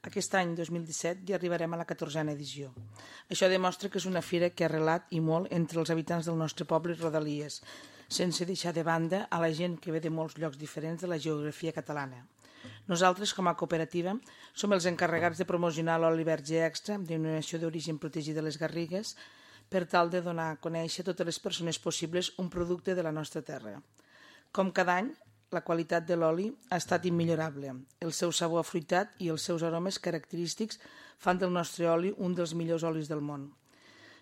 Aquest any, 2017, ja arribarem a la 14a edició. Això demostra que és una fira que ha arrelat i molt entre els habitants del nostre poble i rodalies, sense deixar de banda a la gent que ve de molts llocs diferents de la geografia catalana. Nosaltres, com a cooperativa, som els encarregats de promocionar l'oli verge extra, denominació d'origen protegida de les Garrigues, per tal de donar a conèixer a totes les persones possibles un producte de la nostra terra. Com cada any, la qualitat de l'oli ha estat immillorable. El seu sabor afruitat i els seus aromes característics fan del nostre oli un dels millors olis del món.